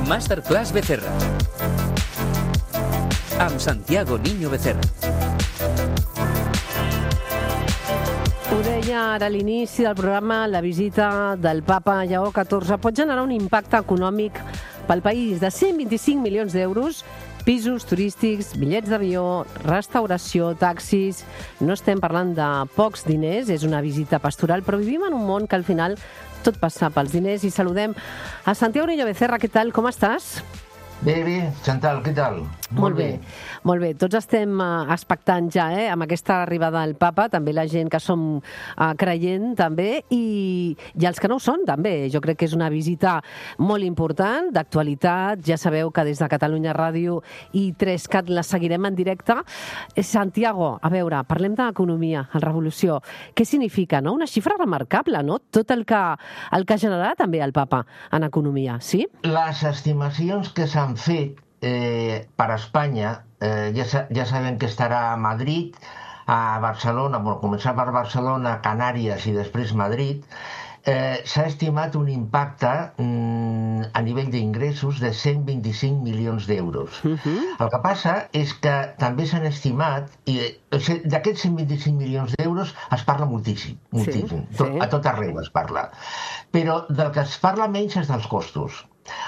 Masterclass Becerra. Amb Santiago Niño Becerra. Ho deia ara a l'inici del programa, la visita del papa Lleó XIV pot generar un impacte econòmic pel país de 125 milions d'euros, pisos turístics, bitllets d'avió, restauració, taxis. No estem parlant de pocs diners, és una visita pastoral, però vivim en un món que al final tot passa pels diners. I saludem a Santiago Niño Becerra. Què tal? Com estàs? Bé, Chantal, què tal? Molt bé. Tots estem expectants ja, amb aquesta arribada del papa, també la gent que som creient, també, i els que no ho són, també. Jo crec que és una visita molt important, d'actualitat. Ja sabeu que des de Catalunya Ràdio i 3CAT la seguirem en directe. Santiago, a veure, parlem d'economia, en revolució. Què significa, no? Una xifra remarcable, no? Tot el que generarà també el papa en economia, sí? Les estimacions que s'han fet per Espanya, ja sabem que estarà a Madrid, a Barcelona, començar per Barcelona, Canàries i després Madrid. S'ha estimat un impacte a nivell d'ingressos de 125 milions d'euros. El que passa és que també s'han estimat, d'aquests 125 milions d'euros es parla moltíssim. A tot arreu es parla. Però del que es parla menys és dels costos.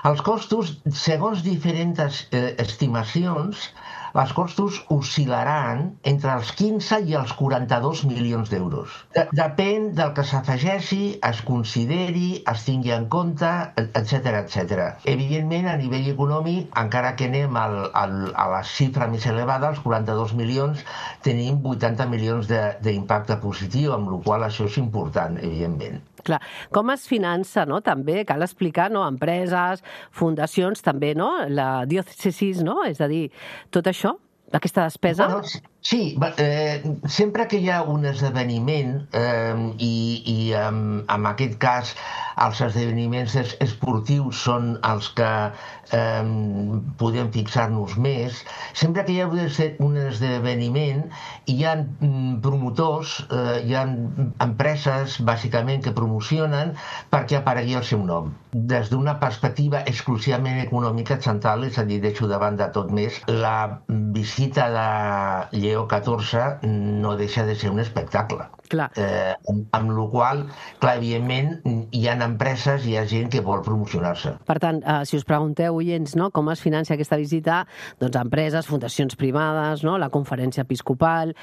Els costos, segons diferents estimacions, els costos oscil·laran entre els 15 i els 42 milions d'euros. Depèn del que s'afegeixi, es consideri, es tingui en compte, etc. Evidentment, a nivell econòmic, encara que anem a la xifra més elevada, els 42 milions, tenim 80 milions d'impacte positiu, amb la qual cosa això és important, evidentment. Clar, com es finança, no? També cal explicar, no? Empreses, fundacions, també, no? La diòcesis, no? És a dir, tot això, aquesta despesa... Bueno, sí, sempre que hi ha un esdeveniment, i en aquest cas els esdeveniments esportius són els que podem fixar-nos més, sempre que hi ha un esdeveniment hi ha promotors, hi ha empreses bàsicament que promocionen perquè aparegui el seu nom. Des d'una perspectiva exclusivament econòmica, Chantal, és a dir, deixo de banda tot més, la visita de Lleó XIV no deixa de ser un espectacle. Amb la qual cosa, evidentment, hi ha empreses, hi ha gent que vol promocionar-se. Per tant, si us pregunteu, oients, no, com es financia aquesta visita, doncs empreses, fundacions privades, no, la conferència episcopal,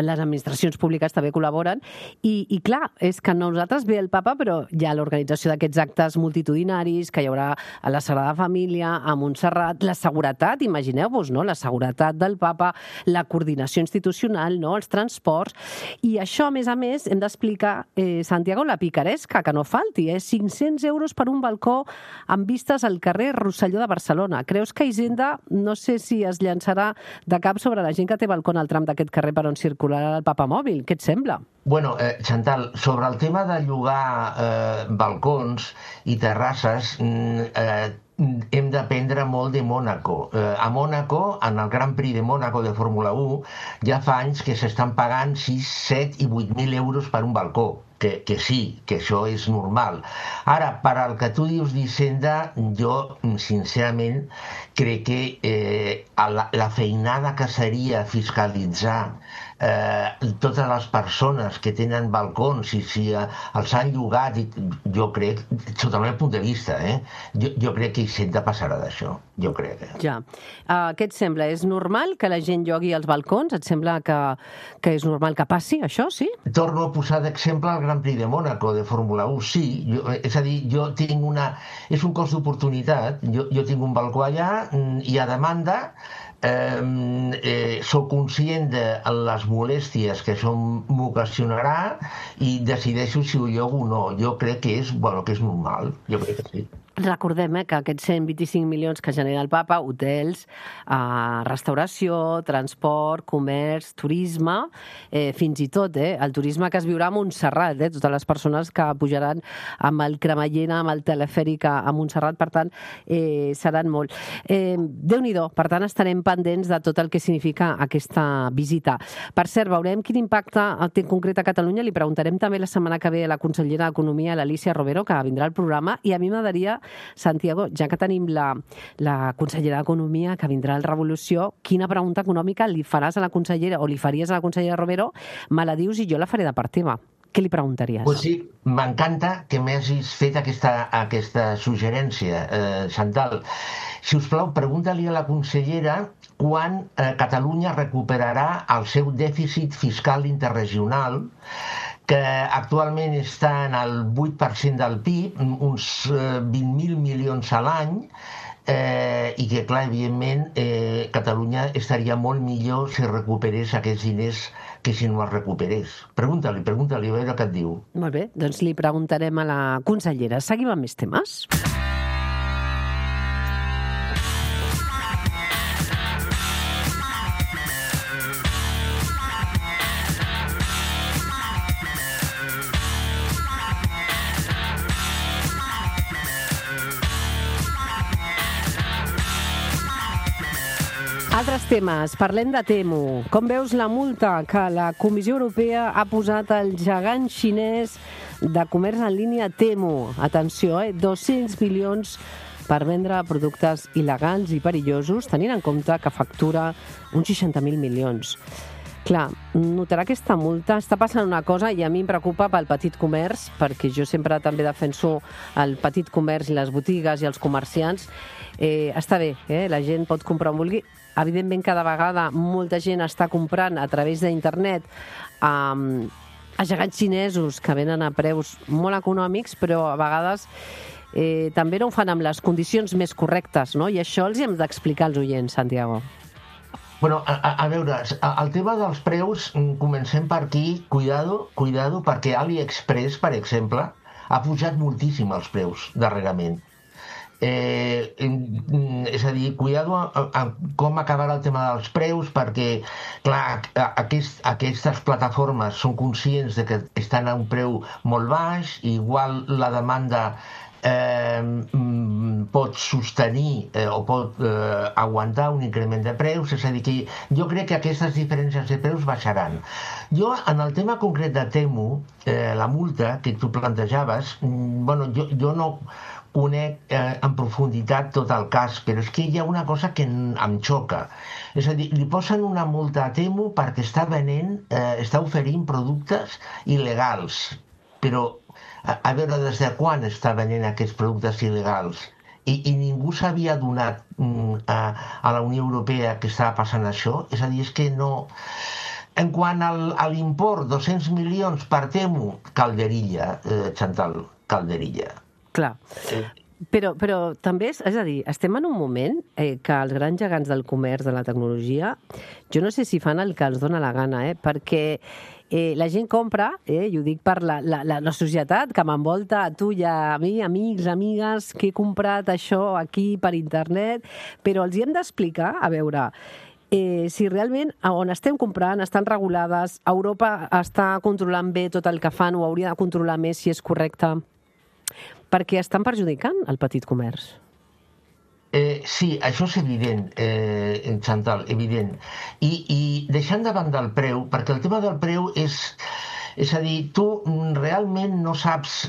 les administracions públiques també col·laboren, i clar, és que nosaltres ve el papa, però hi ha l'organització d'aquests actes multitudinaris, que hi haurà a la Sagrada Família, a Montserrat, la seguretat, imagineu-vos, no, la seguretat del papa, la coordinació institucional, no, els transports, i això, a més, hem d'explicar, Santiago, la picaresca, que no falti, 500 euros per un balcó amb vistes al carrer Rosselló de Barcelona. Creus que Hisenda, no sé si es llançarà de cap sobre la gent que té balcó al tram d'aquest carrer per on circularà el papamòbil? Què et sembla? Bueno, Chantal, sobre el tema de llogar balcons i terrasses, hem d'aprendre molt de Mònaco. A Mònaco, en el Gran Prix de Mònaco de Fórmula 1, ja fa anys que s'estan pagant 6, 7 i 8.000 euros per un balcó. Que sí, que això és normal. Ara, per al que tu dius d'Hisenda, jo, sincerament, crec que la feinada que seria fiscalitzar totes les persones que tenen balcons i si els han llogat, jo crec, sota el meu punt de vista, jo crec que Hisenda passarà d'això, jo crec. Ja. Què et sembla? És normal que la gent llogui els balcons? Et sembla que és normal que passi això, sí? Torno a posar d'exemple el Gran Prix de Mònaco de Fórmula 1, sí. És a dir, jo tinc és un cost d'oportunitat. Jo tinc un balcó allà i a demanda soc conscient de les molèsties que això m'ocasionarà i decideixo si ho llogo o no. Jo crec que és normal, jo crec que sí. Recordem que aquests 125 milions que genera el papa, hotels, restauració, transport, comerç, turisme, fins i tot el turisme que es viurà a Montserrat, totes les persones que pujaran amb el cremallera, amb el telefèric a Montserrat, per tant, seran molt. Déu-n'hi-do, per tant, estarem pendents de tot el que significa aquesta visita. Per cert, veurem quin impacte té en concret a Catalunya. Li preguntarem també la setmana que ve a la consellera d'Economia, l'Alícia Romero, que vindrà al programa, i a mi m'agradaria Santiago, ja que tenim la consellera d'Economia que vindrà al Revolució, quina pregunta econòmica li faràs a la consellera o li faries a la consellera Romero? Me la dius i jo la faré de part teva. Què li preguntaries? Pues sí, m'encanta que m'hagis fet aquesta suggerència, Chantal. Si us plau, pregunta-li a la consellera quan Catalunya recuperarà el seu dèficit fiscal interregional, que actualment està en el 8% del PIB, uns 20.000 milions a l'any, i que, clar, evidentment, Catalunya estaria molt millor si recuperés aquests diners que si no els recuperés. Pregunta-li, a veure què et diu. Molt bé, doncs li preguntarem a la consellera. Seguim amb més temes. Altres temes. Parlem de Temu. Com veus la multa que la Comissió Europea ha posat al gegant xinès de comerç en línia Temu? Atenció, 200 milions per vendre productes il·legals i perillosos, tenint en compte que factura uns 60.000 milions. Clar, notarà aquesta multa. Està passant una cosa i a mi em preocupa pel petit comerç, perquè jo sempre també defenso el petit comerç i les botigues i els comerciants. Està bé, la gent pot comprar on vulgui. Evidentment, cada vegada molta gent està comprant a través d'internet a gegants xinesos que venen a preus molt econòmics, però a vegades també no ho fan amb les condicions més correctes, no? I això els hi hem d'explicar als oients, Santiago. Bueno, a veure, el tema dels preus, comencem per aquí, cuidado, perquè AliExpress, per exemple, ha pujat moltíssim els preus darrerament. És a dir, cuidado amb com acabarà el tema dels preus, perquè, clar, aquestes plataformes són conscients de que estan a un preu molt baix, i igual la demanda pot sostenir o pot aguantar un increment de preus, és a dir, que jo crec que aquestes diferències de preus baixaran. Jo, en el tema concret de Temu, la multa que tu plantejaves, bueno, jo no conec en profunditat tot el cas, però és que hi ha una cosa que em xoca. És a dir, li posen una multa a Temu perquè està oferint productes il·legals. Però, a veure, des de quan està venent aquests productes il·legals? I ningú s'havia adonat a la Unió Europea que estava passant això? És a dir, és que no... En quant a l'import, 200 milions per Temu, calderilla, Chantal, calderilla. Clar, però també, és a dir, estem en un moment que els grans gegants del comerç, de la tecnologia, jo no sé si fan el que els dona la gana, perquè la gent compra, i ho dic per la societat que m'envolta, a tu i a mi, amics, amigues, que he comprat això aquí per internet, però els hi hem d'explicar, a veure, si realment on estem comprant estan regulades, Europa està controlant bé tot el que fan o hauria de controlar més si és correcte, perquè estan perjudicant el petit comerç. Sí, això és evident, Chantal, evident. I deixant de banda el preu, perquè el tema del preu és a dir, tu realment no saps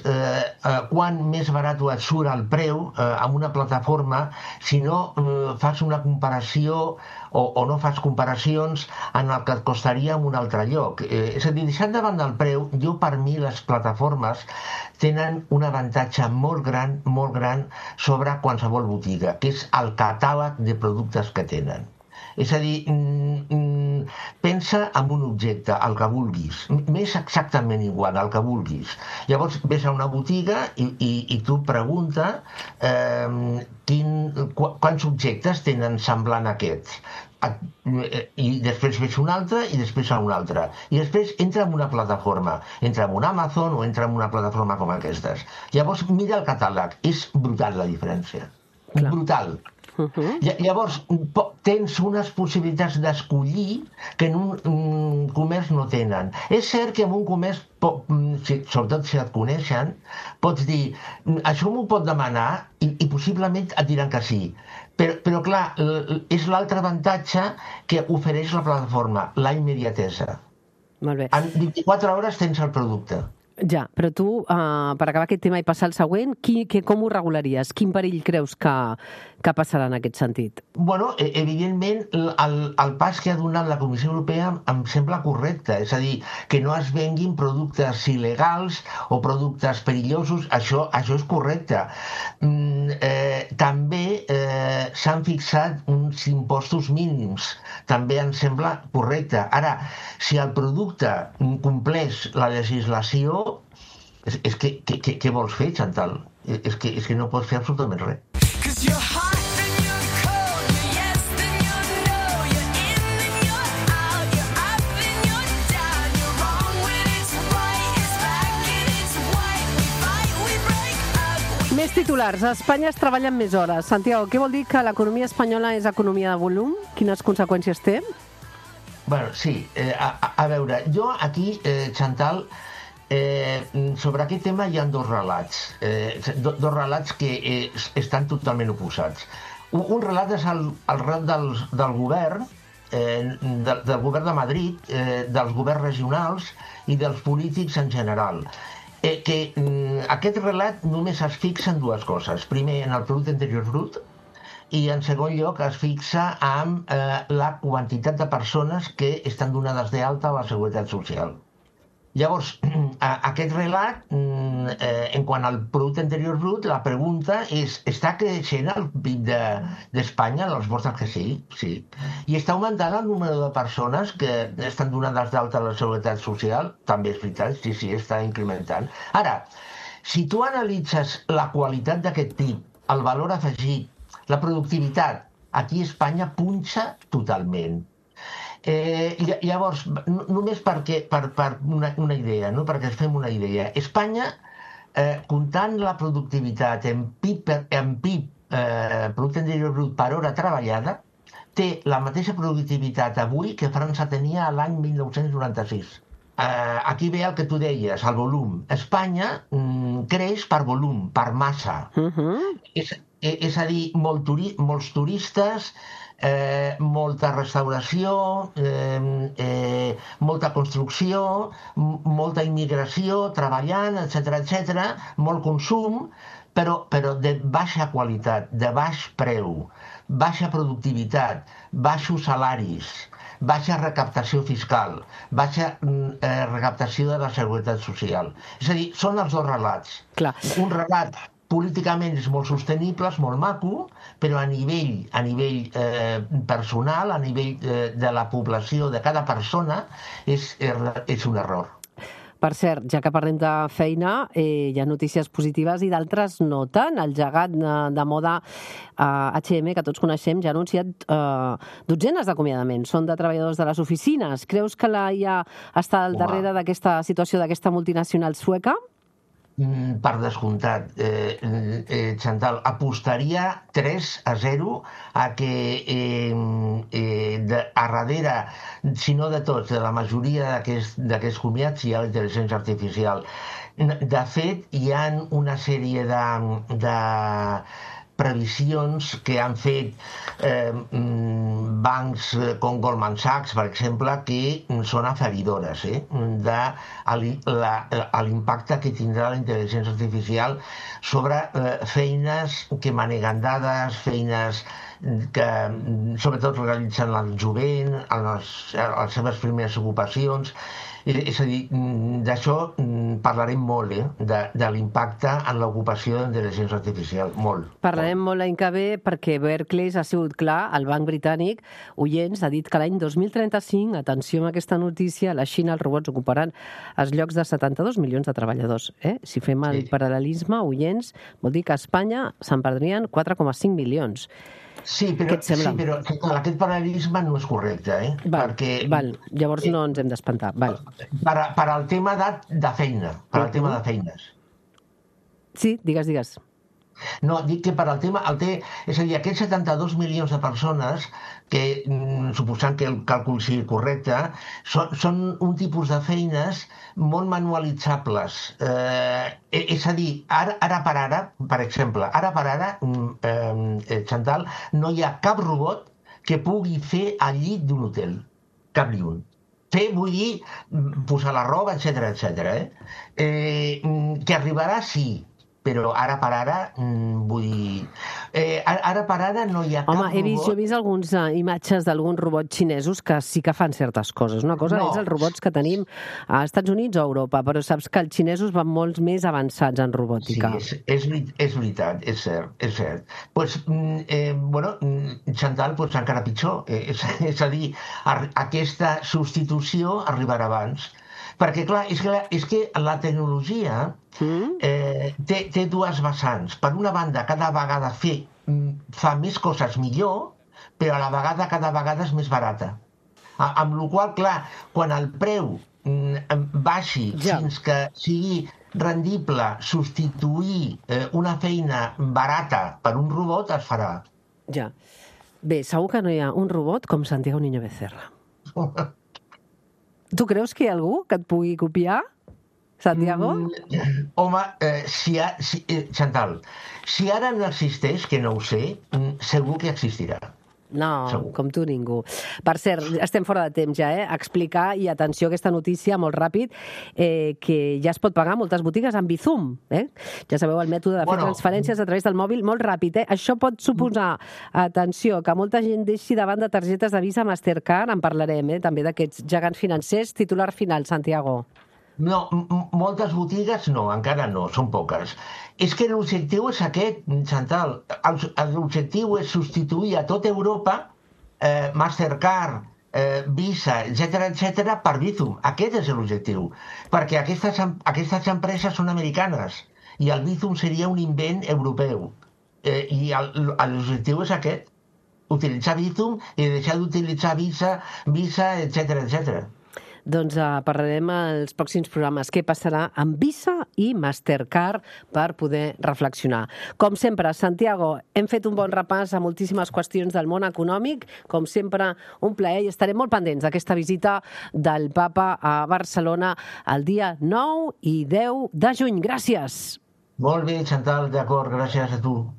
quan més barat et surt el preu amb una plataforma si no fas una comparació o no fas comparacions en el que et costaria en un altre lloc. És a dir, deixant de banda el preu, jo per mi les plataformes tenen un avantatge molt gran sobre qualsevol botiga, que és el catàleg de productes que tenen. És a dir, pensa en un objecte, el que vulguis, m'és exactament igual, el que vulguis. Llavors ves a una botiga i tu pregunta quants objectes tenen semblant a aquests. I després ves un altre i després a un altre. I després entra en una plataforma, entra en un Amazon o entra en una plataforma com aquestes. Llavors mira el catàleg, és brutal la diferència. Clar. Brutal. Llavors tens unes possibilitats d'escollir que en un comerç no tenen. És cert que en un comerç, sobretot si et coneixen, pots dir això m'ho pot demanar i possiblement et diran que sí. Però clar, és l'altre avantatge que ofereix la plataforma, la immediatesa. Molt bé. En 24 hores tens el producte. Ja, però tu, per acabar aquest tema i passar al següent, com ho regularies? Quin perill creus que passarà en aquest sentit? Bueno, evidentment, el pas que ha donat la Comissió Europea em sembla correcte. És a dir, que no es venguin productes il·legals o productes perillosos, això és correcte. També s'han fixat uns impostos mínims. També em sembla correcte. Ara, si el producte compleix la legislació, és que què vols fer, Chantal? És que no pots fer absolutament res. Més titulars. A Espanya es treballen més hores. Santiago, què vol dir que l'economia espanyola és economia de volum? Quines conseqüències té? Bueno, sí. A veure, jo aquí, Chantal, sobre aquest tema hi ha dos relats. Dos relats que estan totalment oposats. Un relat és el relat del govern, del govern de Madrid, dels governs regionals i dels polítics en general. Aquest relat només es fixa en dues coses. Primer, en el producte interior brut, i en segon lloc es fixa en la quantitat de persones que estan donades d'alta a la Seguretat Social. Llavors, aquest relat, en quant al producte interior brut, la pregunta és, està creixent el PIB d'Espanya? La resposta és que sí, sí. I està augmentant el número de persones que estan donades d'alta a la Seguretat Social? També és veritat, sí, està incrementant. Ara, si tu analitzes la qualitat d'aquest PIB, el valor afegit, la productivitat, aquí a Espanya punxa totalment. Llavors, només per una idea, no? Perquè ens fem una idea. Espanya, comptant la productivitat en PIB, Producte Interior Brut per hora treballada, té la mateixa productivitat avui que França tenia l'any 1996. Aquí ve el que tu deies, el volum. Espanya creix per volum, per massa. És a dir, molts turistes, molta restauració, molta construcció, molta immigració, treballant, etc., molt consum, però de baixa qualitat, de baix preu, baixa productivitat, baixos salaris, baixa recaptació fiscal, baixa recaptació de la Seguretat Social. És a dir, són els dos relats. Clar. Un relat políticament és molt sostenible, és molt maco, però a nivell personal, a nivell de la població, de cada persona, és un error. Per cert, ja que parlem de feina, hi ha notícies positives i d'altres no tant. El gegant de moda H&M, que tots coneixem, ja ha anunciat dotzenes d'acomiadaments. Són de treballadors de les oficines. Creus que la IA està al darrere d'aquesta situació d'aquesta multinacional sueca? Per descomptat, Chantal, apostaria 3-0 a que a darrere, si no de tots, de la majoria d'aquests comiats hi ha la intel·ligència artificial. De fet, hi ha una sèrie de previsions que han fet bancs com Goldman Sachs, per exemple, que són aferidores de l'impacte que tindrà la intel·ligència artificial sobre feines que maneguen dades, feines que sobretot realitzen el jovent, les seves primeres ocupacions. És a dir, d'això parlarem molt, de l'impacte en l'ocupació de l'intel·ligència artificial, molt. Parlarem molt l'any que ve perquè Barclays ha sigut clar, el banc britànic, oients, ha dit que l'any 2035, atenció amb aquesta notícia, a la Xina els robots ocuparan els llocs de 72 milions de treballadors. Si fem el paral·lelisme, oients, vol dir que a Espanya se'n perdrien 4,5 milions. Sí, però aquest paral·lelisme no és correcte, perquè... Val, llavors no ens hem d'espantar. Per al tema de feina, per al tema de feines. Sí, digues. No, dic que per al tema... És a dir, aquests 72 milions de persones, que suposant que el càlcul sigui correcte, són un tipus de feines molt manualitzables. És a dir, ara per ara, per exemple, Chantal, no hi ha cap robot que pugui fer el llit d'un hotel. Cap ni un. fer, vull dir, posar la roba, etc. Que arribarà, sí, però ara per ara, vull dir... Ara per ara no hi ha Home, cap jo he robot... vist algunes imatges d'alguns robots xinesos que sí que fan certes coses. Una cosa és els robots que tenim a Estats Units o a Europa, però saps que els xinesos van molts més avançats en robòtica. Sí, és veritat, és cert, és cert. Pues, Chantal, pues, encara pitjor. És a dir, aquesta substitució arribarà abans. Perquè, clar, és que la tecnologia té dues vessants. Per una banda, cada vegada fa més coses millor, però a la vegada cada vegada és més barata. Amb la qual cosa, clar, quan el preu baixi fins que sigui rendible substituir una feina barata per un robot, es farà. Ja. Bé, segur que no hi ha un robot com Santiago Niño Becerra. Tu creus que hi ha algú que et pugui copiar, Santiago? Home, Chantal, si ara no existeix, que no ho sé, segur que existirà. No, Segur. com tu ningú. Per cert, estem fora de temps ja, explicar, i atenció a aquesta notícia molt ràpid, que ja es pot pagar a moltes botigues amb Bizum. Ja sabeu, el mètode de fer transferències a través del mòbil, molt ràpid. Això pot suposar, atenció, que molta gent deixi davant de targetes de Visa Mastercard, en parlarem, també d'aquests gegants financers. Titular final, Santiago. No, moltes botigues no, encara no, són poques. És que l'objectiu és aquest, Chantal. L'objectiu és substituir a tota Europa Mastercard, Visa, etc per Bizum. Aquest és l'objectiu. Perquè aquestes empreses són americanes i el Bizum seria un invent europeu. I l'objectiu és aquest. Utilitzar Bizum i deixar d'utilitzar Visa, etc. Doncs parlarem als pròxims programes què passarà amb Visa i Mastercard per poder reflexionar. Com sempre, Santiago, hem fet un bon repàs a moltíssimes qüestions del món econòmic. Com sempre, un plaer, i estarem molt pendents d'aquesta visita del papa a Barcelona el dia 9 i 10 de juny. Gràcies! Molt bé, Chantal, d'acord, gràcies a tu.